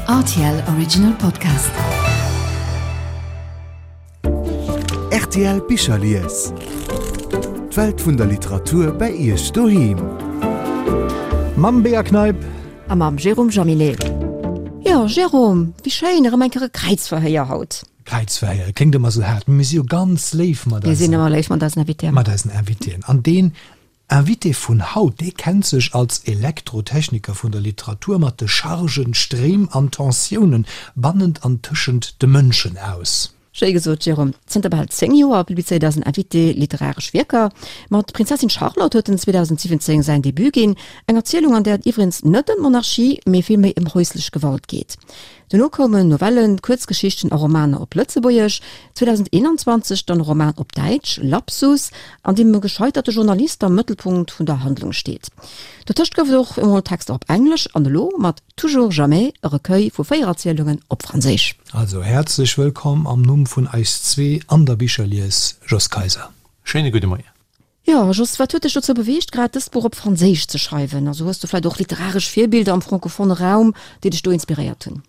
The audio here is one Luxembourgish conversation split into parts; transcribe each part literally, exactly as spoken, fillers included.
R T L Original Podcast. R T L Bicherlies. D'Welt vun der Literatur bei Iech doheem. Mam Bea Kneip. A mam Jérôme Jaminet. Jo, Jérôme, wéi schéin, erëm eng Kéier e Kräizverhéier haut. Kräizverhéier kléngt ëmmer sou haart, mee mir si jo ganz léif mat Mir sinn eisen, ëmmer léif mat eisen Invitéen. Mat eisen Invitéen. An deen Invité vun haut, dee kennt sech als Elektrotechniker vun der Literatur mat de Chargen, Stréim an Tensiounen bannent an tëschent de Mënschen aus. Schéi gesot, Jérôme. Zënter bal zéng Joer publizéiert eisen Invité literaresch Wierker. Mat Prinzessin Charlotte huet en zweedausendsiwwenzéng säin Debut ginn, eng Erzielung, an där et iwwregens net ëm d'Monarchie, mee villméi ëm häuslech Gewalt geet. Dono koumen Novellen, Kuerzgeschichten a Romaner op Lëtzebuergesch, zweedausendeenanzwanzeg dann e Roman op Däitsch, Lapsus, an deem e gescheiterte Journalist am Mëttelpunkt vun der Handlung steet. Dotëscht gouf et och emol Texter op Englesch an elo mat Toujours jamais e Recueil vu véier Erzielungen op Franséisch. Also häerzlech wëllkomm am Numm vun eis zwee an der Bicherlies, Jos Kayser. Schéine gudde Moien. Jo, Jos, wat huet dech dozou beweegt, grad dëst Buch op Franséisch ze schreiwen? Also hues du vläicht och literaresch Virbilder am francophone Raum, déi dech do inspiréiert hunn?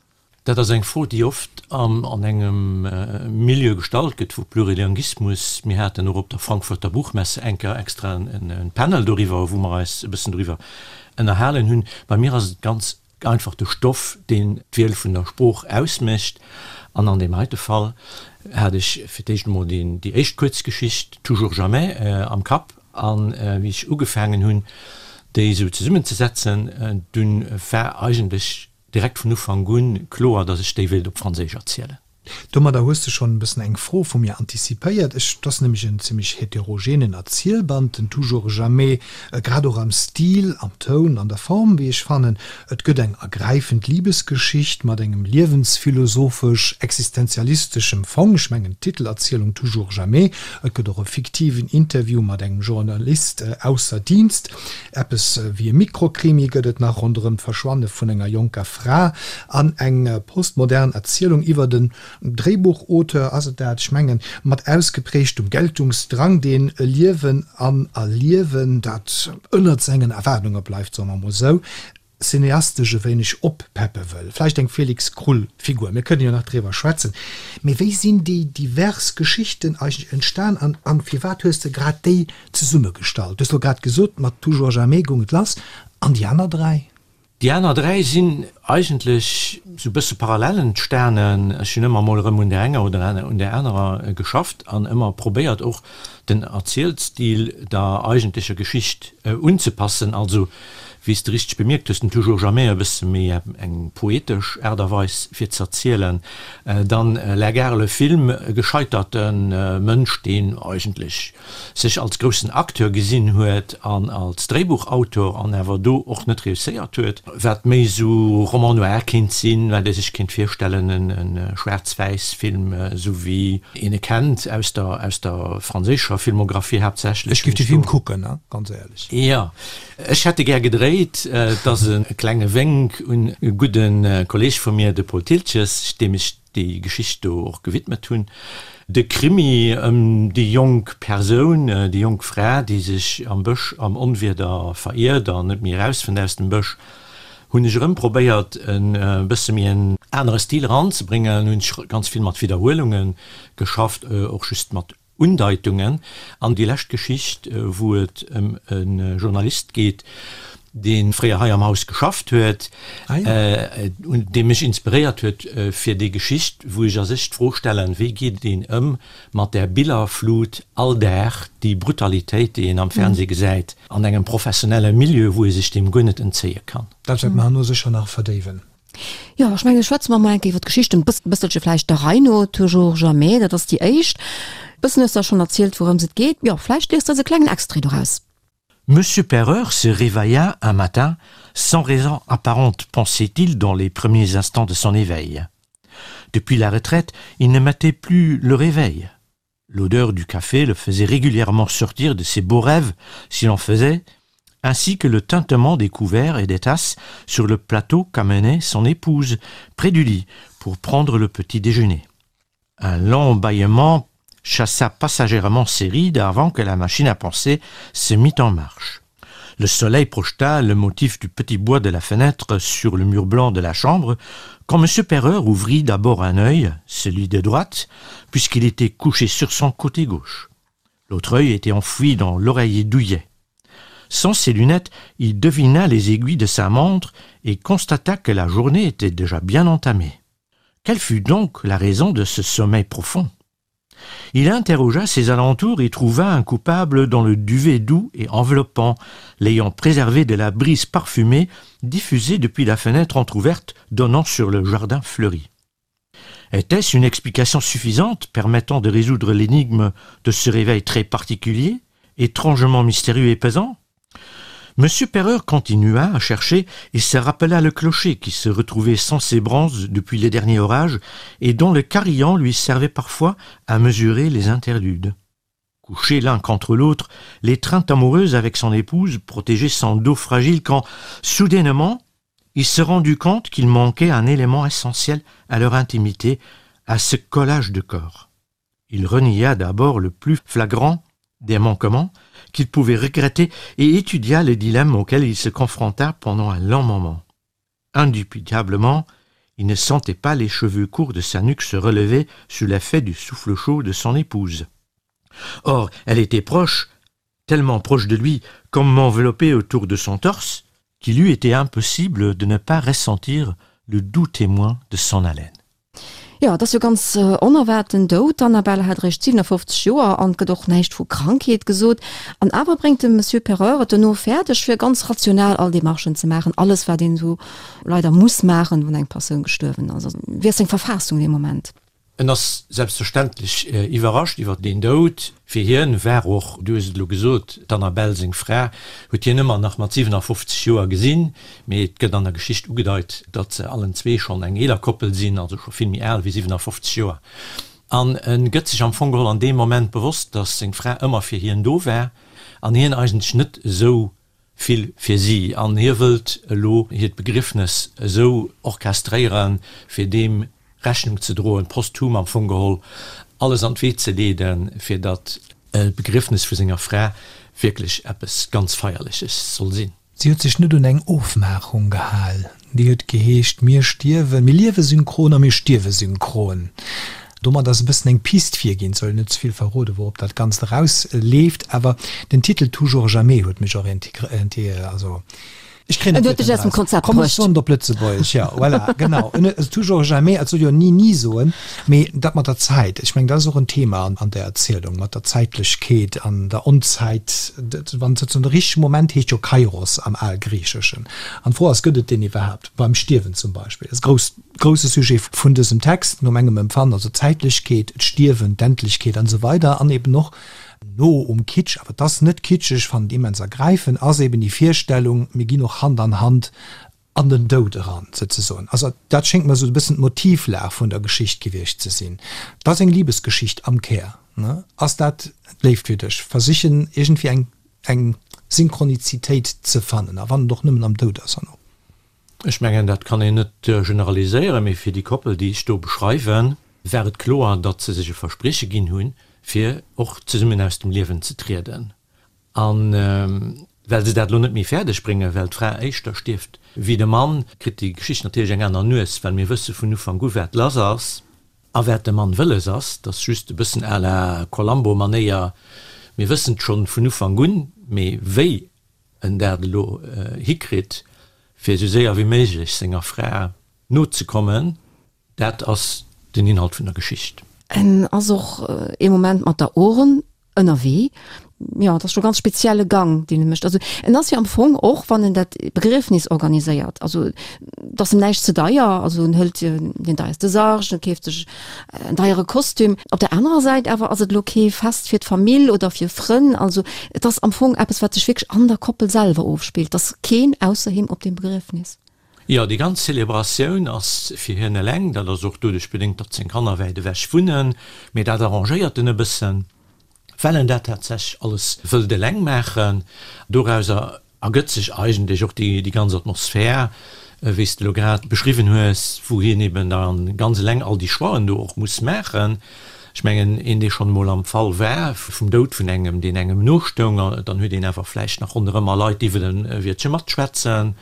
Dat ass eng Fro, déi oft an engem Milieu gestallt gëtt vu Plurilinguismus. Mir haten och op der Frankfurter Buchmesse eng Kéier extra e Panel doriwwer, wou mer eis e bëssen doriwwer ënnerhalen hunn. Bei mir ass et ganz einfach de Stoff, deen d'Wiel vun der Sprooch ausmécht. An an deem heite Fall hat ech fir d'éischt emol déi éischt Kuerzgeschicht Toujours jamais am Kapp. A wéi ech ugefaangen hunn, déi esou zesummenzesetzen, dunn war eigentlech direkt vun Ufank un kloer, datt ech déi wéilt op Franséisch erzielen. Domadder hues de schonn e bëssen eng Fro vu mir antizipéiert. Ech, 't ass nämlech en zimmlech heterogenen Erzielband, den Toujours jamais, grad och am Stil, am Toun, an der Form, wéi ech fannen. Et gëtt eng ergräifend Libesgeschicht mat engem liewensphilosophesch-existenzialisteschem Fong, ech mengen d'Titelerzielung Toujours jamais. Et gëtt och e fiktiven Interview mat engem Journalist ausser Dienst. Eppes wéi e Mikrokrimi gëtt et nach ronderëm d'Verschwanne vun enger jonker Fra an eng postmodern Erzielung iwwert en Dréibuchauteur, ass et dat, ech mengen, mat ausgeprägtem Geltungsdrang, deen e Liewen an Erliewen, dat ënnert sengen Erwaardunge bleift, soe mer mol esou, cineastesch e wéineg oppeppe wëll. Vläicht eng Felix Krull-Figur, mir kënnen jo nach driwwer schwätzen. Mee wéi sinn déi divers Geschichten eigentlech entstan an, an firwat hues de grad déi zesummegestallt? Du hues elo grad gesot, mat Toujours jamais goung et lass. An déi aner dräi? Déi aner dräi sinn eigentlech sou bësse parallel entstanen. Ech hunn ëmmer mol erëm un där enger oder un där anerer geschafft an ëmmer probéiert och den Erzielstil der eigentlecher Geschicht unzepassen. Also, wéi s de richteg bemierkt hues, den Toujours jamais e bësse méi eng poetesch Aart a Weis fir z'erzielen. Dann La gare, le film, e gescheiterte Mënsch, deen eigentlech sech als groussen Acteur gesinn huet an als Dréibuchautor an awer do och net reusséiert huet, wat méi esou Roman noir kéint sinn, wat ee sech kéint virstellen, e schwaarz-wäiss-Film, esou wéi een e kennt aus der aus der franséischer Filmographie haaptsächlech. Ech géif de Film kucken, ganz éierlech. Jo, ech hätt e gär gedréit. Et ass e klenge Wénk un e gudde Kolleeg vu mir, de Paul Thiltges, deem ech déi Geschicht do och gewidmet hunn. De Krimi ëm déi jonk Persoun, déi jonk Fra, déi sech am Bësch am Onwieder veriert an net méi erausfënnt aus dem Bësch, hunn ech erëm probéiert e bësse méi en anere Stil eranzebréngen, hunn ech ganz vill mat Widderhuelunge geschafft, och just mat Undeitungen. An déi lescht Geschicht, wou et ëm e Journalist geet, dee fréier hei am Haus geschafft huet, dee mech inspiréiert huet fir déi Geschicht, wou ech a sech d'Fro stellen, Wéi geet een ëm mat där Billerflut all Dag, déi Brutalitéit, déi een am Fernseh gesäit, an engem professionelle Milieu, wou ee sech deem guer net entzéie kann? Dat wäerte mer herno sécher nach verdéiwen. Jo, ech mengen, schwätze mer mol eng Kéier iwwer d'Geschichten, e bësselche vläicht der Rei no. Toujours jamais, dat ass déi éischt. E bëssen hues de der schonn erzielt, wourëms et geet. Jo, vläicht liest de eis e klengen Extrait doraus. Monsieur Perreur se réveilla un matin, sans raison apparente, pensait-il dans les premiers instants de son éveil. Depuis la retraite, il ne mettait plus le réveil. L'odeur du café le faisait régulièrement sortir de ses beaux rêves, s'il en faisait, ainsi que le tintement des couverts et des tasses sur le plateau qu'amenait son épouse près du lit pour prendre le petit déjeuner. Un long bâillement chassa passagèrement ses rides avant que la machine à penser se mit en marche. Le soleil projeta le motif du petit bois de la fenêtre sur le mur blanc de la chambre, quand monsieur Perreur ouvrit d'abord un œil, celui de droite, puisqu'il était couché sur son côté gauche. L'autre œil était enfoui dans l'oreiller douillet. Sans ses lunettes, il devina les aiguilles de sa montre et constata que la journée était déjà bien entamée. Quelle fut donc la raison de ce sommeil profond? Il interrogea ses alentours et trouva un coupable dans le duvet doux et enveloppant, l'ayant préservé de la brise parfumée diffusée depuis la fenêtre entr'ouverte donnant sur le jardin fleuri. Était-ce une explication suffisante permettant de résoudre l'énigme de ce réveil très particulier, étrangement mystérieux et pesant? Monsieur Perreur continua à chercher et se rappela le clocher qui se retrouvait sans ses branches depuis les derniers orages et dont le carillon lui servait parfois à mesurer les interludes. Couchés l'un contre l'autre, l'étreinte amoureuse avec son épouse protégeait son dos fragile quand, soudainement, il se rendit compte qu'il manquait un élément essentiel à leur intimité, à ce collage de corps. Il renia d'abord le plus flagrant des manquements qu'il pouvait regretter et étudia les dilemmes auxquels il se confronta pendant un long moment. Indubitablement, il ne sentait pas les cheveux courts de sa nuque se relever sous l'effet du souffle chaud de son épouse. Or, elle était proche, tellement proche de lui, comme enveloppée autour de son torse, qu'il lui était impossible de ne pas ressentir le doux témoin de son haleine. Jo, et ass jo ganz onerwaart den Doud. D'Annabelle hat eréischt siwenafoffzeg Joer an et gëtt och näischt vu Krankheet gesot. An awer bréngt de Monsieur Perreur et dono fäerdeg, fir ganz rational all Demarchen ze maachen, alles wat een esou leider muss maachen, wann eng Persoun gestuerwen ass. Also wéi ass seng Verfaassung dee Moment? En ass selbstverständlech iwwerrascht iwwer deen Doud. Fir hien war och, du hues et elo gesot, d'Annabelle, seng Fra, huet hien ëmmer nach mat siwenafofzeg Joer gesinn, mee et gëtt an der Geschicht ugedeit, datt se allen zwee schonn eng eeler Koppel sinn, also scho vill méi al wéi siwenafofzeg Joer. An e gëtt sech am Fong geholl an deem Moment bewosst, datt seng Fra ëmmer fir hien do war an hien eigentlech net esou vill fir si. An hie wëllt elo hiert Begriffnes esou orchestréieren, fir deem Rechnung ze droen, posthum am Fong geholl alles an d'Wee ze leeden, fir datt d'Begriffnes vu senger Fra wierklech eppes ganz Feierleches soll sinn. Si huet sech net un eng Ofmaachung gehal, déi huet geheescht, Mir stierwen, mir liewe synchron a mir stierwe synchron. Domat ass e bëssen eng Pist virginn, et soll een net ze vill verroden, wourop dat Ganzt erausleeft, awer den Titel Toujours jamais huet mech orientéiert, also ech kréien En net huet dech aus dem eraus. Konzept Komm, ech bruecht. soen et op Lëtzebuergesch, jo, voilà, genau. En huet, also toujours jamais, et soll jo ni ni soen, mee dat mat der Zäit, ech mengen, dat ass och en Thema an der Erzielung, mat der Zäitlechkeet an der Onzäit, dat, wann se zum richtege Moment heescht jo Kairos am Algriicheschen. An d'Fro ass, gëtt et deen iwwerhaapt, beim Stierwen zum Beispill? Dat ass e grousst, grousse Sujet vun dësem Text, no mengem Empfannen, also d'Zäitlechkeet, d'Stierwen, d'Endlechkeet an esou weider an eben och no um Kitsch, awer et ass net kitscheg, ech fannen et immens ergräifend, ass eben déi Virstellung, mir ginn och Hand an Hand an den Doud eran, souzesoen. Also dat schéngt mer esou e bëssen d'Motivlag vun der Geschicht gewiescht ze sinn. Et ass eng Libesgeschicht am Kär, ne? Ass dat d'Léift fir dech? Versichen iergendwéi eng eng Synchronizitéit ze fannen, a wann et och nëmmen am Doud ass herno. Ech mengen, dat kann een net generaliséieren, mee fir déi Koppel, déi ech do beschreiwen, war et kloer, datt se sech e Versprieche ginn hunn, fir och zesummen aus dem Liewen ze trieden. A well se dat elo net méi fäerdeg bréngen, well d'Fra éischter stierft wéi de Mann, kritt déi Geschicht natierlech eng aner Nues, well mir wësse vun Ufank u wat lass ass a wat de Mann wëlles ass. Dat ass just e bëssen à la Columbo-Manéier, mir wëssen et schonn vun Ufank un, mee wéi en dat elo hikritt, fir esou séier wéi méiglech senger Fra nozekommen, dat ass den Inhalt vun der Geschicht. En ass och ee Moment mat der Urn ënnerwee. Jo, et ass scho ganz spezielle Gang, deen e mécht. Also en ass jo am Fong och, wann en dat Begriefnis organiséiert, also et ass em näischt ze deier, also en hëlt deen deierste Sarg, en keeft sech en deiere Kostüm. Op der anerer Säit awer ass et elo kee Fest fir d'Famill oder fir Frënn. Also et ass am Fong eppes, wat sech wierklech an der Koppel selwer ofspillt. Et ass keen ausser him op deem Begriefnis. Jo, déi ganz Zelebratioun ass fir hien eleng. Dat ass och doduerch bedéngt, datt seng Kanner wäit ewech wunnen. Mee dat arrangéiert en e bëssen, well en dat tatsächlech alles wëllt eleng maachen. Dorauser ergëtt sech eigentlech och déi ganz Atmosphär, wéi s de elo grad beschriwwen hues, wou hien eben da ganz eleng all déi Choixen do och muss maachen. Ech mengen, een, dee schonn emol am Fall war vum Doud vun engem, deen engem nostoung, dann huet een awer vläicht nach ronderëmmer Leit, déi wëllen e Wiertche matschwätzen,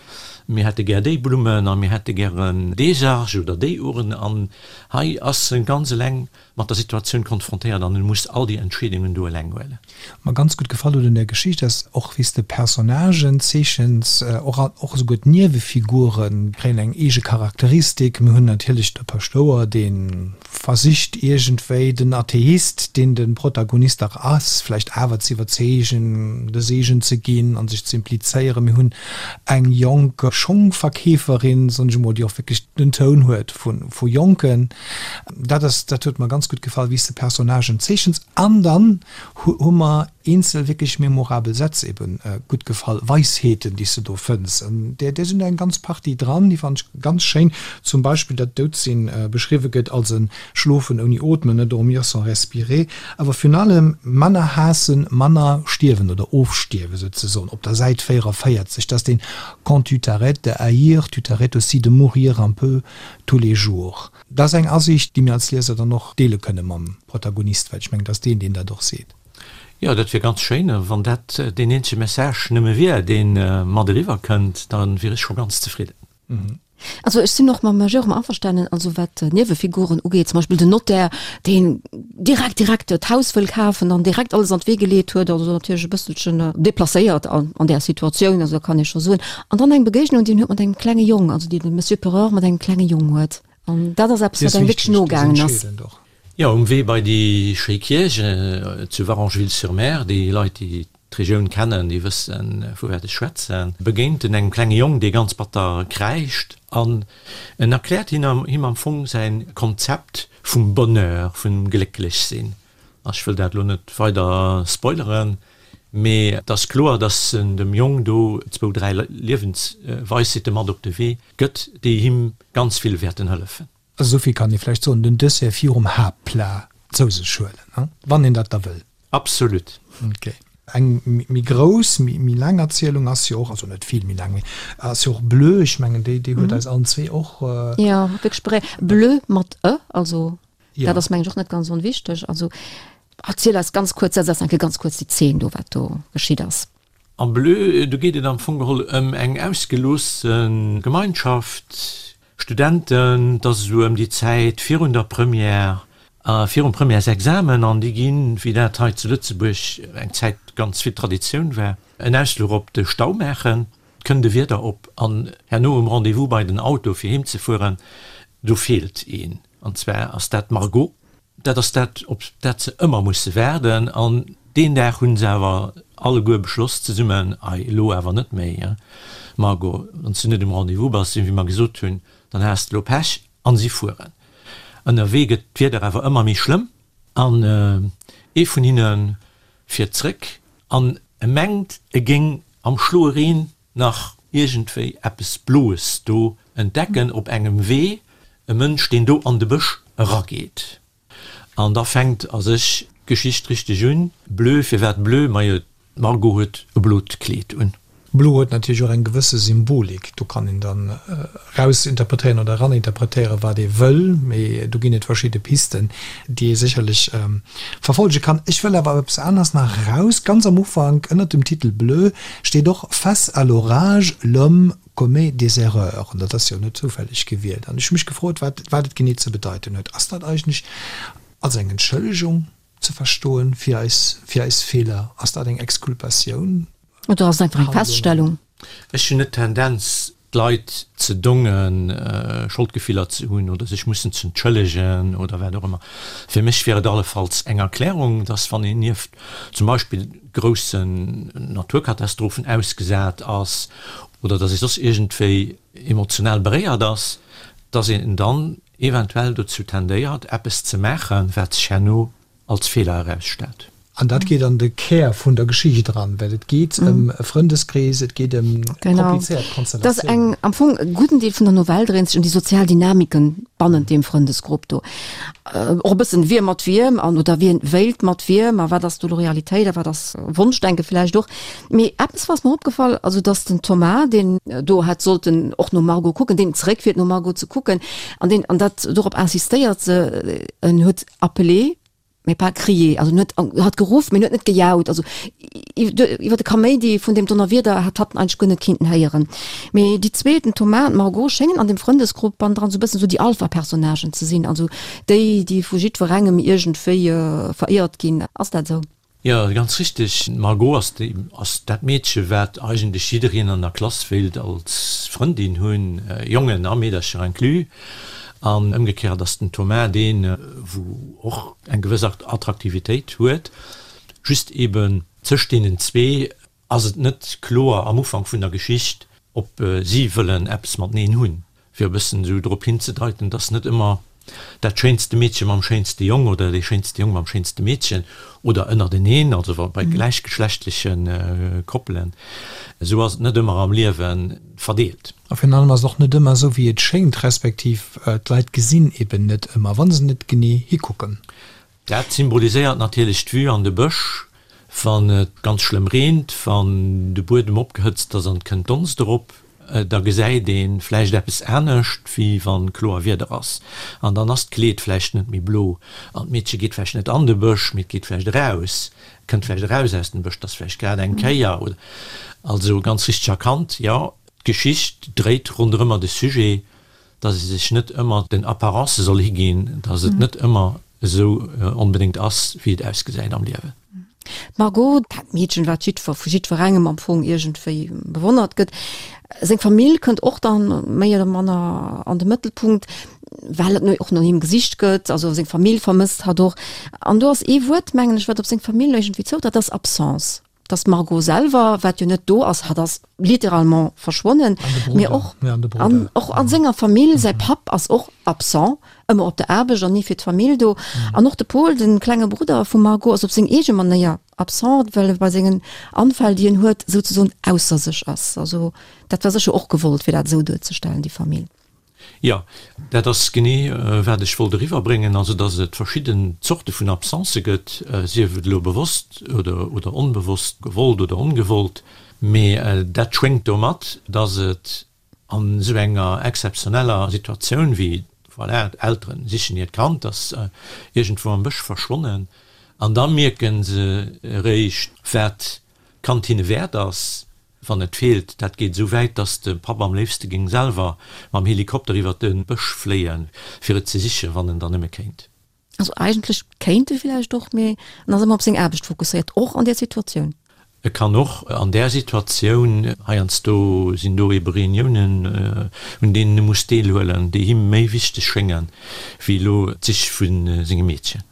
Mir hätte gär déi Blummen a mir hätte gären dee Sarg oder déi Urn. An hei ass e ganz eleng mat der Situatioun konfrontéiert an e muss all déi Entscheedungen do eleng huelen. Mer ganz gutt gefall huet un der Geschicht ass och wéi s de Personnagen zeechens, och och esouguer d'Niewefigure kréien eng eege Charakteristik. Mir hunn natierlech de Paschtouer, dee versicht iergendwéi den Atheist, deen de Protagonist dach ass, vläicht awer ze iwwerzeegen, de Seegen ze ginn a sech ze implizéieren. Mir hunn eng jonk Schongverkeeferin, soen ech emol, déi och wierklech den Toun huet vu Jonken. Dat ass, dat huet mer ganz gutt gefall, wéi s de Personnagen zeechens. An dann hu mer eenzel wierklech memorabel Sätz eben gutt gefall, Weisheeten, déi s de do fënns. An där, där sinn der eng ganz Partie dran, déi fannen ech ganz schéin. Zum Beispill, datt Doudsinn beschriwwe gëtt als e Schlofen ouni Ootmen, ne, dormir sans respirer. Awer virun allem manner haassen, manner stierwen oder ofstierwen souzesoen, op der Säit véierunvéierzeg, dass deen Quand tu t'arrêtes de haïr, tu t'arrêtes aussi de mourir un peu tous les jours. Dat ass eng Asiicht, déi mir als Lieser dann och deele kënne mam Protagonist, well ech mengen, et ass deen, deen dat och seet. Jo, dat wier ganz schéin. Wann dat deen eenzege Message nëmme wier, dee mat eriwwer kënnt, da wier ech scho ganz zefridden. Also ech sinn och mam Jérôme averstanen, also wat d'Niewefiguren ugeet, zum Beispill den Notaire, deen direkt direkt d'Haus wëll kafen an direkt alles an d'Wee geleet huet, also natierlech e bësselchen deplacéiert an an där Situatioun, also dat kann ee scho soen. An dann eng Begéignung, déi en huet mat engem klenge Jong, also déi de Monsieur Pereure mat engem klenge Jong huet. An dat ass eppes, Déi wat ass engem wierklech wichteg, déi ass nogaangen ass. entscheedend och. Jo, um Wee bei déi schéi Kierch zu Varengeville-sur-Mer, déi Leit, déi d'Regioun kennen, déi wëssen, vu wat ech schwätzen, begéint en engem klenge Jong, dee ganz batter kräischt an en erkläert him am Fong säi Konzept vum Bonheur, vum Glécklechsinn. Ech wëll dat elo net weider spoileren, mee et ass kloer, dass en dem Jong do zwou, dräi Liewensweisheete mat op de Wee gëtt, déi him ganz vill wäerten hëllefen. Also esou vill kann ee vläicht soen, den Dessert virum Haaptplat zou sech huelen, wann een dat da wëll. Absolut. Ok. Eng méi grouss, méi laang Erzielung ass jo och, also net vill méi laang, mee ass jo och Bleu. Ech mengen, déi huet eis allen zwee och. Jo, wierklech beré. Bleu mat e, also dat ass mengen ech och net ganz onwichteg. Also erziel eis ganz kuerz, setz eis eng Kéier ganz kuerz déi Zeen do, wat do geschitt ass. Am Bleu, do geet et am Fong geholl ëm eng ausgeloosse Gemeinschaft, Studenten, et ass esou ëm déi Zäit virun der Première, virum Premièresexamen, an déi ginn, wéi dat hei zu Lëtzebuerg eng Zäit ganz vill Traditioun war, en Ausfluch op de Stau maachen. Et kënnt e Wieder op an herno um Rendez-vous bei den Auto fir heem ze fueren, do feelt een, an zwar ass dat d'Margot. Dat ass dat, op dat se ëmmer musse waarden. An deen Dag hu se awer alleguer beschloss zesummen, Ei, elo awer net méi, Margot, wann s du net um Rendez-vous bass, wéi mer gesot hunn, dann has de elo Pech. An si fueren. Ënnerwee gëtt d'Wieder awer ëmmer méi schlëmm an ee vun hinne fiert zréck an e mengt, e géing am schloe Reen nach iergendwéi eppes Bloes do entdecken op engem Wee, e Mënsch, deen do an de Bësch erageet. An da fänkt a sech d'Geschicht richteg un. Bleu, firwat bleu? Majo, d'Margot huet e blot Kleed un. Blo huet natierlech och eng gewësse Symbolik. Do kann een dann erausinterpretéieren oder eraninterpretéieren, wat ee wëll, mee do ginn et verschidde Pisten, déi ee sécherlech verfollege kann. Ech wëll awer op eppes aneres nach eraus. Ganz am Ufank, ënnert dem Titel Bleu, steet och Face à l'orage, l'homme commet des erreurs. An dat ass jo net zoufälleg gewielt. An ech hu mech gefrot, wat wat et genee ze bedeiten huet. Ass dat eigentlech als eng Entschëllegung ze verstoen fir eis fir eis Feeler? Ass dat eng Exkulpatioun? Oder ass et einfach eng Feststellung? Ech hunn net d'Tendenz, d'Leit ze dongen, Scholdgefiller ze hunn oder sech mussen ze entschëllegen oder wat och ëmmer. Fir mech wier et allefalls eng Erklärung, dass wann een nieft zum Beispill groussen Naturkatastrophen ausgesat ass oder dass ee soss iergendwéi emotional beréiert ass, dass een dann eventuell dozou tendéiert, eppes ze maachen, wat sech herno als Feeler erausstellt. An dat geet an de Kär vun der Geschicht eran, well et geet ëm e Frëndeskrees, et geet ëm komplizéiert Konstellatiounen. Dass eng, am Fong e gudden Deel vun der Novell dréint sech ëm déi sozial Dynamiken bannent deem Frëndesgrupp do. Och e bëssen, wie mat wiem an oder wien wéilt mat wiem a wat ass do elo Realitéit a wat ass Wonschdenke vläicht och. Mee eppes ass mer opgefall, also dass den Thomas, deen do hätt sollten och nom Margot kucken, deen zeréckfiert nom Margot ze kucken an deen, an dat dorop insistéiert se, en huet appelé, mais pas crié. Also en huet hat geruff, mee en huet net gejaut. Also iwwer de Kaméidi vun deem Donnerwieder hat hatt en eigentlech guer net kinnten héieren. Mee déi zwee, den Thomas an d'Margot, schéngen an dem Frëndesgrupp bannendran sou e bëssen sou déi Alpha-Personnagen ze sinn, also déi, déi vu jiddwerengem iergendwéi veréiert ginn. Ass dat esou? Jo, ganz richteg. D'Margot ass déi, ass dat Meedche wat eigentlech jiddereen an der Klass wéilt als Frëndin hunn, Jongen a Meedercher inclus. An ëmgekéiert ass den Thomas deen, wou och eng gewëss Attraktivitéit huet. Just eben tëscht deenen zwee ass et net kloer am Ufank vun der Geschicht, ob si wëllen eppes mateneen hunn. Fir e bëssen esou drop hinzedeiten, dass net ëmmer dat schéinste Meedche mam schéinste Jong oder dee schéinste Jong mam schéinste Meedchen oder ënnerteneen, also wa bei gläichgeschlechtleche Koppelen, esou ass et net ëmmer am Liewe verdeelt. A virun allem ass et och net ëmmer esou, wéi et schéngt, respektiv d'Leit gesinn eben net ëmmer, wa se net genee hikucken. Dat symboliséiert natierlech d'Vue an de Bësch, wann et ganz schlëmm reent, wann de Buedem opgehëtzt ass an et kënnt Donst erop, da gesäit ee vläicht eppes anescht, wéi wa kloer Wieder ass. An dann ass d'Kleed vläicht net méi blo an d'Meedche geet vläicht net an de Bësch, mee et geet vläicht eraus, kënnt vläicht eraus aus dem Bësch, 't ass vläicht grad eng Kéier oder. Also ganz richteg erkannt, jo, d'Geschicht dréit ronderëmmer de Sujet, dass ee sech net ëmmer den Apparencë soll higinn, dass et net ëmmer esou onbedéngt ass, wéi et ausgesäit am Liewen. D'Margot, dat Meedchen, wat jiddwer, vu jiddwerengem am Fong iergendwéi bewonnert gëtt, seng Famill kënnt och dann méi oder manner an de Mëttelpunkt, well et och no him gesicht gëtt, also seng Famill vermësst hatt och. An do ass ee Wuert, mengen ech, wat op seng Famill iergendwéi zoutrëfft, dat ass Absence. Dat ass d'Margot selwer, wat jo net do ass, hatt ass littéralement verschwonnen, mee och an och a senger Famill, säi Papp ass och absent, ëmmer op der Aarbecht an ni fir d'Famill do. An och de Paul, de klenge Brudder vum Margot, ass op seng eege Manéier absent, well e bei sengen Anfäll, déi en huet, souzesoen ausser sech ass. Also dat war sécher och gewollt, fir dat esou duerzestellen, déi Famill. Jo, dat ass genee, wat ech wollt eriwwerbréngen, also datt et verschidden Zorte vun Absencë gëtt, sief et elo bewosst oder onbewosst, gewollt oder ongewollt, mee dat schwéngt domat, datt et an esou enger exzeptioneller Situatioun wéi, voilà, d'Eltere sichen hiert Kand, ass iergendwou am Bësch verschwonnen, an da mierke se eréischt, wat d'Kand hinne wäert ass. Wann et feelt, dat geet esou wäit, dass de Papp am léifste géing selwer mam Helikopter iwwer de Bësch fléien, fir et ze sichen, wann en dann nëmme kéint. Also eigentlech kéint e villäicht och, mee en ass ëmmer op seng Aarbecht fokusséiert, och an där Situatioun. E kann och an där Situatioun, heiansdo sinn do ebe Reuniounen, un deenen e muss deelhuelen, déi him méi wichteg schéngen, wéi elo d'Sich vu sengem Meedchen.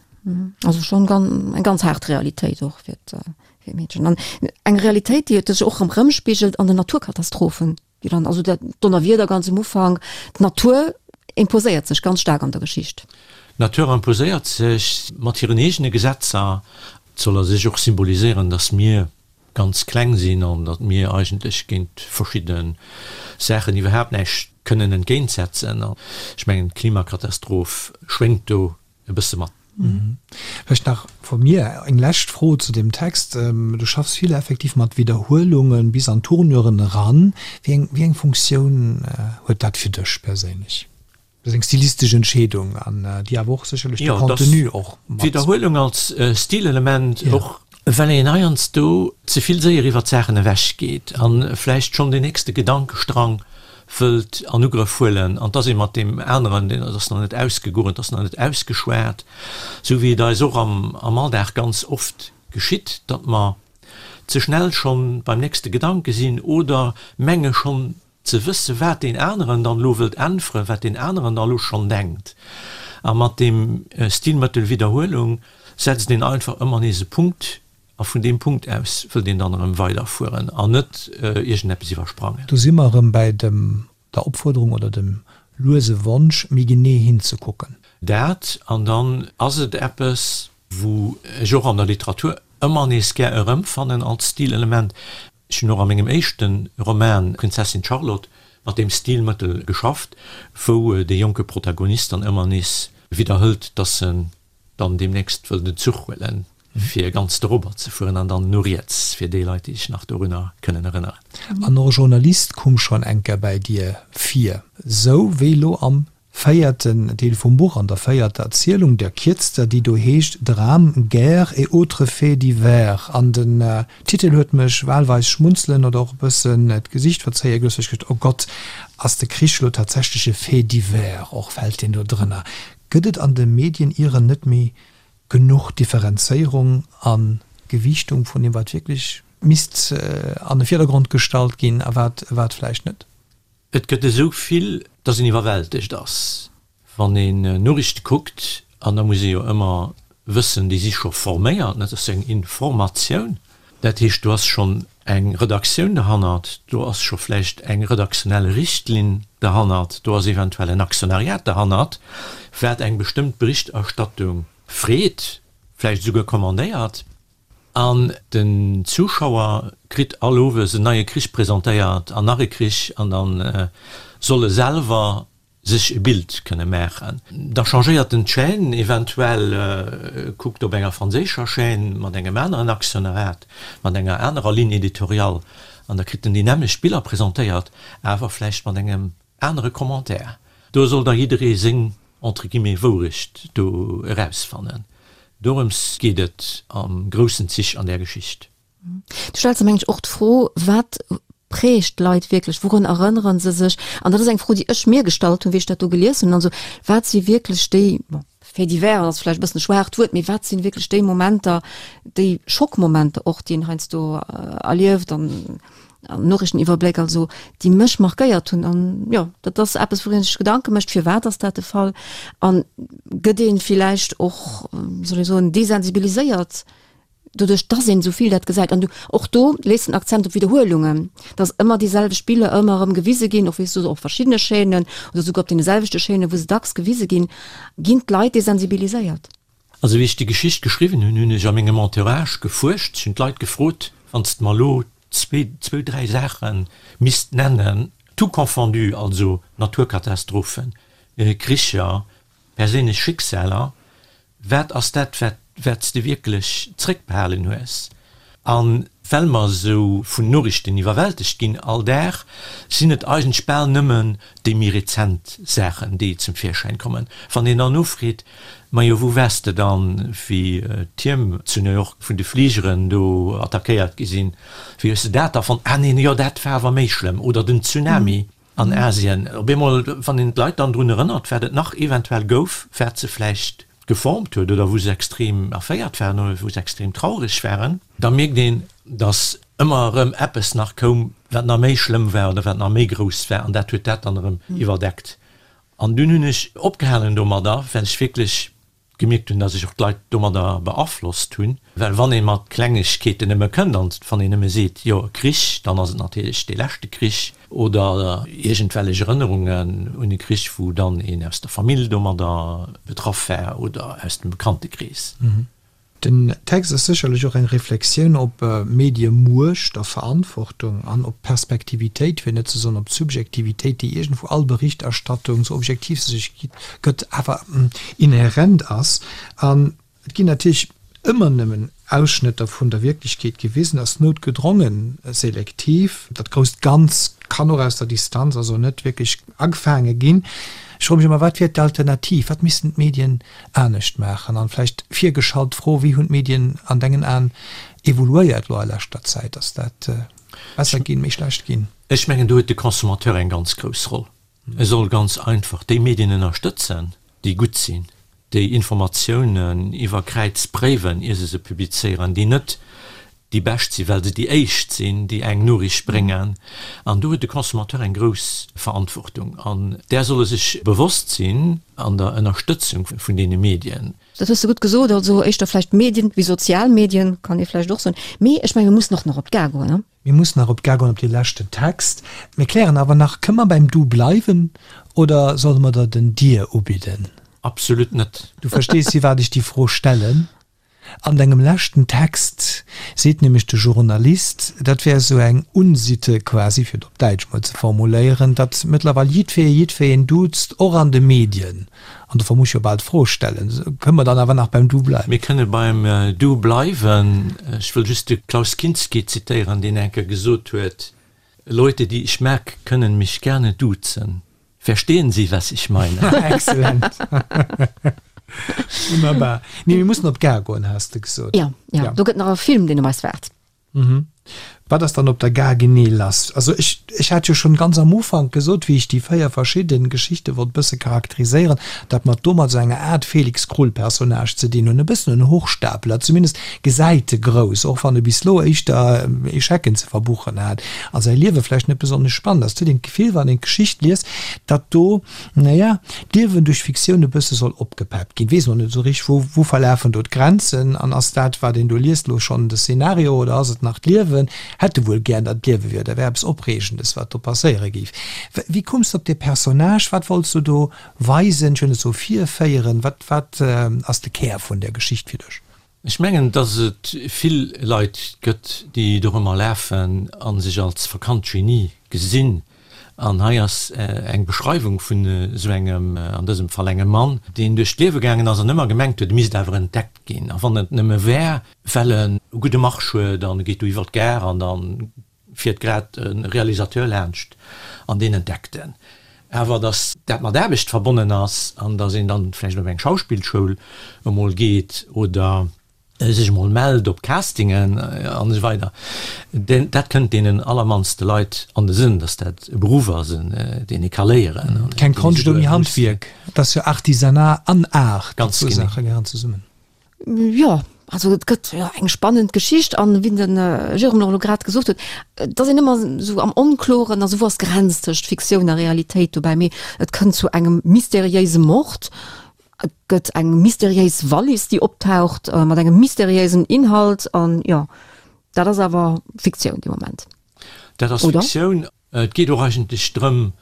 Also schonn eng ganz haart Realitéit och fir d'Meedchen. An eng Realitéit, déi sech och erëm erëmspigelt an den Naturkatastrophen, déi dann, also dat Donnerwieder ganz um Ufank, d'Natur imposéiert sech ganz staark an der Geschicht. D'Natur imposéiert sech mat hiren eegene Gesetzer. Et soll a sech och symboliséieren, datt mir ganz kleng sinn an datt mir eigentlech géint verschidde Saachen iwwerhaapt näischt kënnen entgéintsetzen. An ech mengen, d'Klimakatastroph schwéngt do e bësse mat. Vläicht nach vu mir eng lescht Fro zu deem Text. Du schaffs vill effektiv mat Widderhuelungen bis an Tournuren eran. Wéi eng, wéi eng Funktioun huet dat fir dech perséinlech? Dat ass eng stilistesch Entscheedung an déi awer och sécherlech de Contenu och mat. Widderhuelung als Stilelement och, well een heiansdo ze vill séier iwwer d'Saachen ewech geet a vläicht schonn den nächste Gedankestrang wëllt an Ugrëff huelen an 't ass ee mat deem aneren, deen ass nach net ausgegoen, 't ass nach net ausgeschwat, sou wéi et eis och am Alldag ganz oft geschitt, datt mer ze schnell schonn beim nächste Gedanke sinn oder menge schonn ze wësse wat deen aneren dann elo wëllt äntweren, wat deen aneren da elo schonn denkt. A mat deem Stilmëttel Widderhuelung setzt een einfach ëmmer nees e Punkt A vun deem Punkt aus wëllt een dann erëm weiderfueren an net iergendeppes iwwersprangen. Do si mer erëm bäi dem, der Opfuerderung oder dem luese Wonsch, méi genee hinzekucken. Dat, an dann ass et eppes, wou ech och an der Literatur ëmmer nees gär erëmfannen als Stilelement. Ech hunn och a mengem éischte Roman Prinzessin Charlotte mat deem Stilmëttel geschafft, wou dee jonke Protagonist dann ëmmer nees widderhëlt, dass en dann deemnächst wëll den Zuch huelen, fir ganz dorobber ze fueren an dann no riets, fir déi Leit, déi sech nach dorunner kënnen erënneren. An och e Journalist kumm schonn eng Kéier bäi dir vir, sou wéi elo am véierten Deel vum Buch, an der véierter Erzielung, der kierzter, déi do heescht Drames, guerres et autres faits divers. An den Titel huet mech wahlweis schmunzelen oder och e bëssen d'Gesicht verzéie gelooss, well ech geduecht, oh Gott, ass de Krich elo tatsächlech e Fait divers och, fält deen do drënner? Gëtt et an de Medien ieren net méi genuch Differenzéierung a Gewiichtung vun deem, wat wierklech misst an de Virdergrond gestallt ginn a wat wat vläicht net? Et gëtt esou vill, dass een iwwerwältegt ass, wann een Noriichte kuckt. An da muss ee jo ëmmer wëssen, déi si scho forméiert, dat ass eng Informatioun. Dat heescht, do ass schonn eng Redaktioun derhannert, do ass scho vläicht eng redaktionell Richtlinn derhannert, do ass eventuell en Aktionariat derhannert, wat eng bestëmmt Berichterstattung freet, vläicht esouguer commandéiert. An den Zuschauer kritt all Owes en neie Krich presentéiert an nach e Krich an da soll e selwer sech e Bild kënne maachen. Da changéiert en d'Chaîne, eventuell kuckt op enger franséischer Chaîne mat engem aneren Aktionariat, mat enger anerer Ligne éditoriale an da kritt en déi nämmlecht Biller presentéiert, awer vläicht mat engem anere Commentaire. Do soll da jidderee seng, entre guillemets, Wourecht do erausfannen. Dorëms geet et am groussen Zich an där Geschicht. Du stells der, mengen ech, och d'Fro, Wat prägt d'Leit wierklech? Wourun erënnere se sech? An dat ass eng Fro, déi ech mir gestallt hunn, wéi ech dat do gelies hunn. Also, wat si wierklech déi, bon, Faits divers ass vläicht e bëssen e schwaacht Wuert, mee wat si wierklech déi Momenter, déi Schockmomenter och, déi een heiansdo erlieft an an Noriichteniwwerbléck, also déi mech markéiert hunn. An jo, dat ass eppes, wou ee sech Gedanke mécht, firwat ass dat de Fall? An gëtt ee villäicht och, wéi soll ee soen, desensibiliséiert doduerch, dass een esou vill dat gesäit? An du, och do lees den Akzent op Widderhuelungen, dass ëmmer déi selwecht Biller ëmmer erëm gewise ginn, och weess du, op verschiddene Chaînen oder souguer op deene selwechte Chaînen, wou se dacks gewise ginn, ginn d'Leit desensibiliséiert. Also wéi ech déi Geschicht geschriwwen hunn, hunn ech a mengem Entourage gefuerscht. Ech hunn d'Leit gefrot, Wann s de mer elo zwee, zwou, dräi Saache misst nennen, tout confondu, also Naturkatastrophen, Kricher, perséinlech Schicksaler, wat ass dat, wat, wat s de wierklech zréckbehalen hues? A well mer esou vun Noriichten iwwerwältegt ginn all Dag, sinn et eigentlech bal nëmmen déi méi rezent Saachen, déi zum Virschäin kommen. Wann een dann nofreet, Majo, wou waars de dann, wéi d'Tierm zu New York vun de Fligeren do attackéiert gi sinn? Wéi hues de dat da fonnt? Ah neen, jo, dat war awer méi schlëmm. Oder den Tsunami an Asien. Op eemol, wann een d'Leit dann drun erënnert, wat et nach eventuell gouf, wat se vläicht geformt huet oder wou se extrem erféiert waren oder wou se extrem traureg waren, da mierkt een, datt ëmmer erëm eppes nach koum, wat nach méi schlëmm war oder wat nach méi grouss war, an dat huet dat dann erëm iwwerdeckt. An dunn hunn ech opgehalen domadder, well ech wierklech gemierkt hunn, datt ech och d'Leit domadder beaflosst hunn. Well wann ee mat Klengegkeeten nëmme kënnt an wann een nëmme seet, jo e Krich, dann ass et natierlech dee leschte Krich oder iergendwellech Erënnerungen un e Krich, wou dann een aus der Famill domadder betraff war oder aus dem Bekanntekrees. Den Text ass sécherlech och eng Reflexioun op Mediemuecht a Verantwortung an op d'Perspektivitéit, fir net ze soen op d'Subjektivitéit, déi iergendwou all Berichterstattung, sou objektiv se sech gëtt, awer inhärent ass. An et ginn natierlech ëmmer nëmmen Ausschnëtter vun der Wierklechkeet gewisen, ass noutgedrongen selektiv. Dat grousst Ganz kann och aus der Distanz also net wierklech agefaange ginn. Ech froe mech ëmmer, Wat wier d'Alternativ? Wat missten d'Medien anescht maachen? An vläicht virgeschalt d'Fro, Wéi hunn d'Medien an dengen Aen evoluéiert elo a leschter Zäit? Ass dat besser ginn, méi schlecht ginn? Ech mengen, do huet de Consommateur eng ganz grouss Roll. E soll ganz einfach déi Medien ënnerstëtzen, déi gutt sinn, déi Informatiounen iwwer Kräiz préiwen, ier se se publizéieren, déi net déi bescht sinn, well se déi éischt sinn, déi eng Noriicht bréngen. An do huet de Consommateur eng grouss Verantwortung an där soll e sech bewosst sinn an der Ënnerstëtzung vun deene Medien. Dat hues de gutt gesot. Also éischter vläicht Medien wéi sozial Medien, kann ee vläicht och soen. Mee ech menge mir mussen och nach op d'Gare goen, ne? Mir mussen nach op d'Gare goen, op dee leschten Text. Mir klären awer nach, Kënne mer beim Du bleiwen oder solle mer der den Dir ubidden? Absolut net. Du verstees, firwat ech déi Fro stellen. An dengem leschten Text seet nämlech de Journalist, dat wär esou eng Unsitte quasi, fir et op Däitsch mol ze formuléieren, datt mëttlerweil jiddfee jiddfeen duzt, och an de Medien. An dofir muss ech jo bal d'Fro stellen, Kënne mer dann awer nach beim Du bleiwen? Mir kënne beim Du bleiwen. Ech wëll just de Klaus Kinski zitéieren, deen eng Kéier gesot huet, Leute, die ich mag, können mich gerne duzen. Verstehen Sie, was ich meine? Excellent. Wunnerbar. Nee, mir mussen op d'Gare goen, has de gesot. Ja, ja. Ja. Do gëtt nach e Film, deen op eis waart. Mhm. Wat ass dann op der Gare genee lass? Also ech, ech hat jo schonn ganz am Ufank gesot, wéi ech déi véier verschidden Geschichte wollt bësse charakteriséieren, datt mer do mat esou enger Aart Felix Krull-Personnage ze dinn hunn, e bëssen en Hochstapler, zumindest gesäit e grouss, och wann e bis elo éischter Echecken ze verbuchen hat a säi Liewe vläicht net besonnesch spannend ass. Et huet een d'Gefill, wann een d'Geschicht liest, datt do, naja, d'Liewen duerch Fiktioun e bësse soll opgepeppt ginn. Weess och net esou richteg, wou, wou verlafen do d'Grenzen an ass dat, wat een do liest, elo schonn de Szenario oder ass et nach d'Liewen? Hätt e wuel gär, datt et d'Liewe wier, dat wär eppes Opreegendes, wat do passéiere géif. Wéi koums de op dee Personnage? Wat wollts du do weisen, ech wëll net soe virféieren? Wat, wat ass de Kär vun där Geschicht fir dech? Ech mengen, datt et vill Leit gëtt, déi dorëmmer lafen a sech als verkannt Genie gesinn. An hei ass eng Beschreiwung vun esou engem, an dësem Fall engem Mann, deen duerch d'Liewe gaangen ass an ëmmer gemengt huet, e misst awer entdeckt ginn. A wann et nëmme wär, well en e gudde Marsch huet an e geet do iwwer d'Gare an da fiert grad e Realisateur laanscht an deen entdeckt en. Awer datt dat mat Aarbecht verbonnen ass an datt een dann vläicht op eng Schauspillschoul emol geet oder sech emol mellt op Castingen an esou weider, dat kënnt deenen allermannste Leit an de Sënn, datt dat e Beruff ass, deen ee ka léieren. Keng Konscht ouni Handwierk, et ass jo Artisanat an Art, déi Ganz zwou genee. Saache gehéieren zesummen. Jo, also et gëtt jo eng spannend Geschicht an wéi de Jérôme och elo grad gesot huet, et ass een ëmmer esou am Onkloren, also wou ass d'Grenz tëscht Fiktioun a Realitéit dobäi, mee et kënnt zu engem mysteriéise Mord, et gëtt eng mysteriéis Wallis, déi optaucht mat engem mysteriéisen Inhalt an jo, dat ass awer Fiktioun dee Moment, Dat ass oder? Fiktioun. Et geet och eigentlech drëm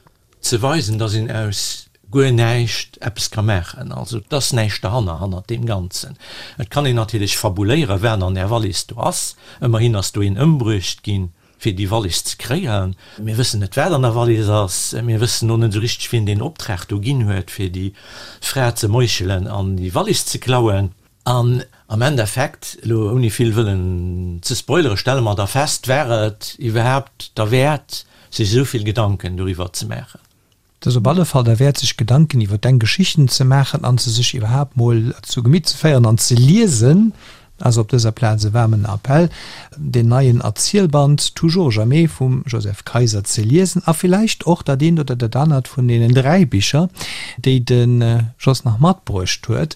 ze weisen, dass een aus guer näischt eppes ka maachen. Also et ass näischt derhanner, hannert deem Ganzen. Et kann een natierlech fabuléieren, wat an där Wallis do ass. Ëmmerhin ass do een ëmbruecht ginn, fir déi Wallis ze kréien. Mir wëssen net, wat an der Wallis ass. Mir wëssen och net esou richteg, wien deen Optrag do ginn huet, fir déi Fra ze meuchelen an déi Wallis ze klauen. An am Endeffekt, elo ouni vill wëllen ze spoileren, stelle mer da fest, war et iwwerhaapt derwäert, sech esou vill Gedanken doriwwer ze maachen? Et ass op alle Fall derwäert, sech Gedanken iwwer deng Geschichten ze maachen an se sech iwwerhaapt mol zu Gemitt ze féieren an ze liesen. Also op dëser Plaz e waarmen Appell, deen neien Erzielband Toujours jamais vum Joseph Kayser ze liesen a villäicht och dat eent oder dat anert vun deenen dräi Bicher, déi de Jos nach matbruecht huet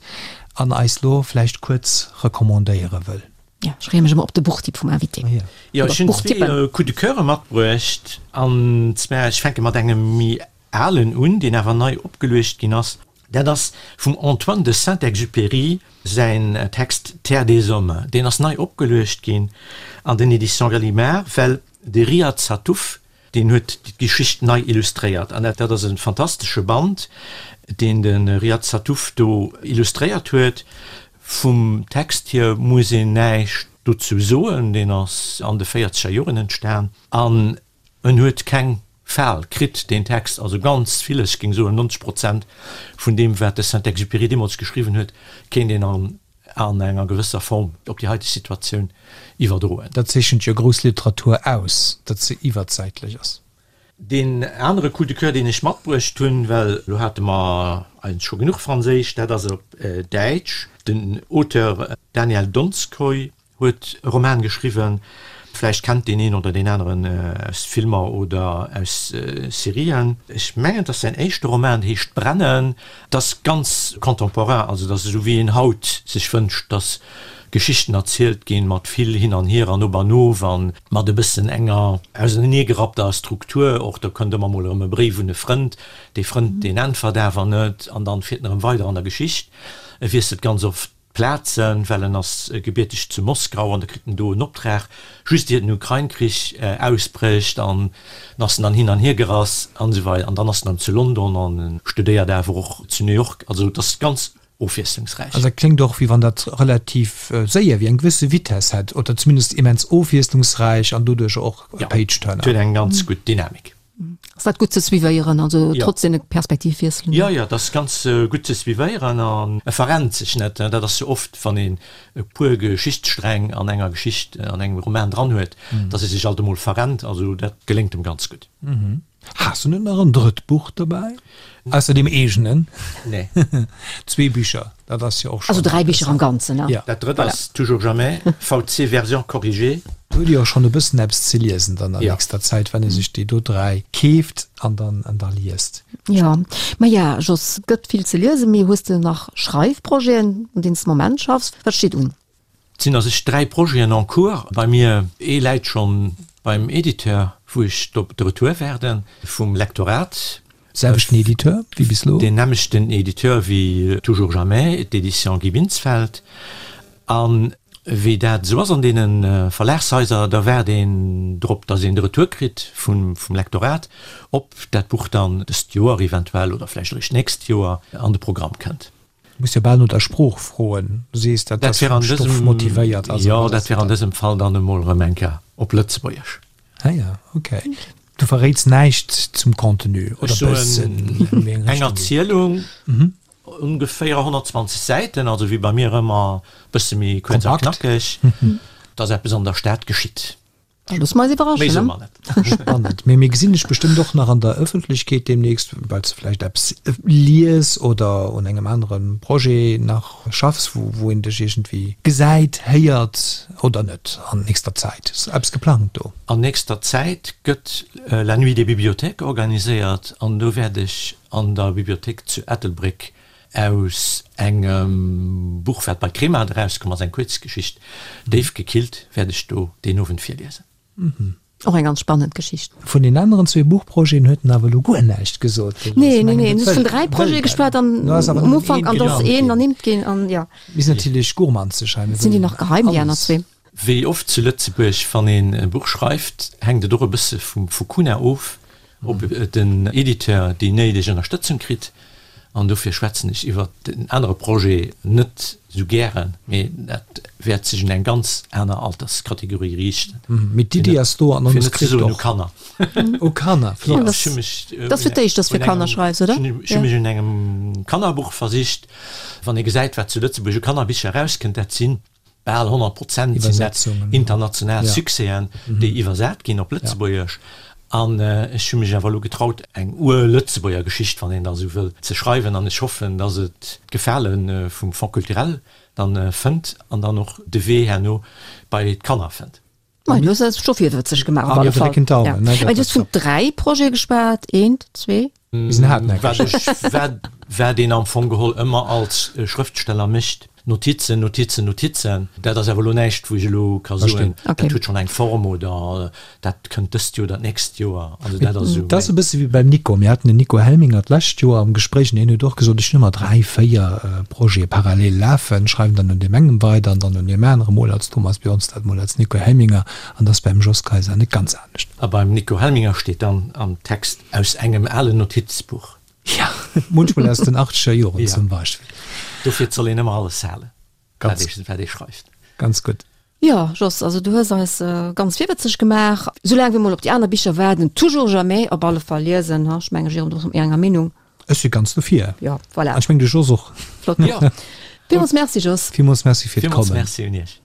an eis lo vläicht kuerz recommandéiere wëll. Jo, ech freeë mech ëmmer op de Buchtipp vum Invité. Jo, Oder ech hunn zwee Buchtippen. Coup de Coeure matbruecht. An zwar, ech fänke mat engem méi alen un, deen awer nei opgeluecht ginn ass. Dat ass vum Antoine de Saint-Exupéry säin Text Terre des hommes. Deen ass nei opgeluecht ginn an den Éditions Gallimard, well de Riad Sattouf, deen huet d'Geschicht nei illustréiert. An dat ass e fantastesche Band, deen de Riad Sattouf do illustréiert huet. Vum Text hier muss een näischt dozou soen, deen ass an de véierzeger Joren entstan an en huet keng Fal kritt, deen Text. Also ganz vill, ech géing soen nonzeg Prozent vun deem, wat de Saint-Exupéry deemools geschriwwen huet, kéint een an an enger gewësser Form op déi haiteg Situatioun iwwerdroen. Dat zeechent jo grouss Literatur aus, datt se iwwerzäitlech ass. Deen anere Coup de coeur, deen ech matbruecht hunn, well elo hate mer eigentlech scho genuch Franséisch, dat ass op Däitsch. Den Auteur Daniel Donskoy huet e Roman geschriwwen, vläicht kennt deen een oder deen aneren aus Filmer oder aus Serien. Ech mengen, et ass säin éischte Roman, dee heescht Brennen. Et ass ganz contemporain, also et ass esou wéi een haut sech wënscht, dass Geschichten erzielt ginn, mat vill hin an hier an op an of an mat e bëssen enger auseneegerappter Struktur och. Do kënnt ëmmer mol erëm e Bréif un e Frënd, dee Frënd deen äntwert awer net an dann fiert en erëm weider an der Geschicht. E wiesselt ganz oft d'Plazen, well en ass gebierteg zu Moskau an da kritt en do en Optrag, just ier den Ukrain-Krich ausbrécht an ass en dann hin an hier gerass an esou weider an dann ass en erëm zu London an en studéiert awer och zu New York. Also et ass ganz Ofwiesslungsräich. Also dat kléngt och, wéi wann dat relativ séier, wéi eng gewësse Vitesse hätt, oder zumindest immens ofwiesslungsräich an doduerch och e Ja, Page-Turner. et huet eng ganz gutt Dynamik. Ass dat gutt ze suivéieren, also trotz deene Perspektivwiesselen? Jo, jo, dat ass ganz gutt ze suivéieren an e verrennt sech net. Dat ass jo oft, wann een e puer Geschichtssträng an enger Geschicht, an engem Roman dran huet, datt ee sech alt emol verrennt. Also dat geléngt em ganz gutt. Has du net nach en drëtt Buch dobäi, ausser deem eegenen? Nee. Zwee Bicher, dat ass jo och schonn. Also dräi Bicher am Ganzen, ne? Ja. Dat drëtt ass Toujours jamais, VC Version corrigée. Do huet Dir och schonn e bëssen eppes ze liesen dann an nächster Zäit, wann ee sech déi do dräi keeft an dann an da liest. Jo, maja Jos, gëtt vill ze liesen, mee hues de nach Schreifprojeten, un deenen s de Moment schaffs? Wat steet un? Et sinn a sech dräi Projeten en cours bei mir. Ee läit schonn beim Editeur, wou ech op de Retour waarde vum Lektorat. Selwechten Editeur wéi bis elo? Deen nämmlechten Editeur wéi Toujours Jamais, d'Éditions Guy Binsfeld. A wéi dat esou ass an deene Verlagshaiser, da waart een drop, datt een de Retour kritt vum Lektorat, ob dat Buch dann dëst Joer eventuell oder vläicht eréischt d'nächst Joer an de Programm kënnt. Muss jo bal no der Sprooch froen. Du sees, dat ass vum Stoff motivéiert. Also jo, dat wär an dësem Fall dann emol erëm eng Kéier op Lëtzebuergesch. Ah ja, okay. Du verréits näischt zum Contenu oder Ech soen, bëssen an wéi eng eng Richtung geet? Erzielung, ongeféier honnertzwanzeg Säiten, also wéi bei mir ëmmer e bësse méi kuerz a Kompakt. knackeg, dass eppes an der Stad geschitt. Da loosse mer eis Méi iwwerraschen, soe ne? mer net. Spannend. Mee mir gesinn dech bestëmmt och nach an der Ëffentlechkeet deemnächst, well s de vläicht eppes lies oder un engem anere Projet nach schaffs, wou wou een dech iergendwéi gesäit, héiert oder net an nächster Zäit. Ass eppes geplangt do? An nächster Zäit gëtt La Nuit des Bibliothèques organiséiert an do wäert ech an der Bibliothéik zu Ettelbréck aus engem Buch, wat bei Kremart erauskomm ass, eng Kuerzgeschicht, Déif gekillt, wäert ech do deen Owend virliesen. Och eng ganz spannend Geschicht. Vun den aneren zwee Buchprojeten huet en awer elo guer näischt gesot. Nee, nee, nee, en huet vun dräi Projete geschwat an um Ufank, an do ass een ernimmt ginn an jo. Mir sinn natierlech gourmanzeg hei, mir Sinn déi wëllen nach geheim, déi aner alles. zwee? Wéi oft zu Lëtzebuerg, wann een e Buch schreift, hänkt et och e bësse vum Fukuna of, ob den Editeur déi néideg Ënnerstëtzung kritt. An dofir schwätzen ech iwwert den anere Projet net esou gären, mee dat wäert sech un eng ganz aner Alterskategorie riichten. Mee d'Iddi ass do an Fir net ze d'Manuskript soen u och. Kanner. U Kanner, flott. Ech hu mech Dat ass fir d'éischt, dass du fir Kanner schreifs, oder? Ech hu mech un engem Kannerbuch versicht. Wann ee gesäit, wat zu Lëtzebuerg u Kannerbicher erauskënnt, dat sinn Bal honnert Prozent sinn dat international Succèsen, déi iwwersat ginn op Lëtzebuergesch. An ech hu mech awer elo getraut, eng Ur-Lëtzebuerger Geschicht, wann een da esou wëll, ze schreiwen. An ech hoffen, datt et d'Gefale vum Fonds culturel dann fënnt an dann och de Wee herno bei d'Kanner fënnt. Mei, du hues eis scho virwëtzeg gemaach op alle Fall. Ja. Mä du hues vun dräi Projete geschwat, eent, zwee? Mir sinn hartnäckeg. Wat ech, wat, wat een am Fong geholl ëmmer als Schrëftsteller mécht, Notizen, Notizen, Notizen. Dat ass awer elo näischt, wou ech elo ka soen, dat huet schonn eng Form oder dat kënnt dëst Joer oder d'nächst Joer. Also dat ass esou. Dat ass e bësse wéi beim Nico. Mir haten den Nico Helminger d'lescht Joer am Gespréich an hien huet och gesot, ech hunn ëmmer dräi, véier Projete parallel lafen, schreiwen dann un deem engem weider an dann un deem aneren, mol als Thomas Bjornstad, mol als Nico Helminger. An dat ass beim Jos Kayser net ganz anescht. A beim Nico Helminger steet dann am Text aus engem alen Notizbuch. Ja, munchmol aus den achtzeger Joren zum Beispill. Dofir soll een ëmmer alles halen, wat ee schreift. Ganz gutt. Jo, Jos, also du hues eis ganz virwëtzeg gemaach. Soulaang wir mol op déi aner Bicher waarden, Toujours jamais op alle Fall liesen, ha? Ech mengen, Jérôme, du bass mat mir enger Meenung. Ech si ganz dofir. Jo, voilà. An ech mengen, de Jos och. Flott. Jo. Villmools Merci, Jos. Villmools Merci fir Villmools d'Kommen. Merci un Iech.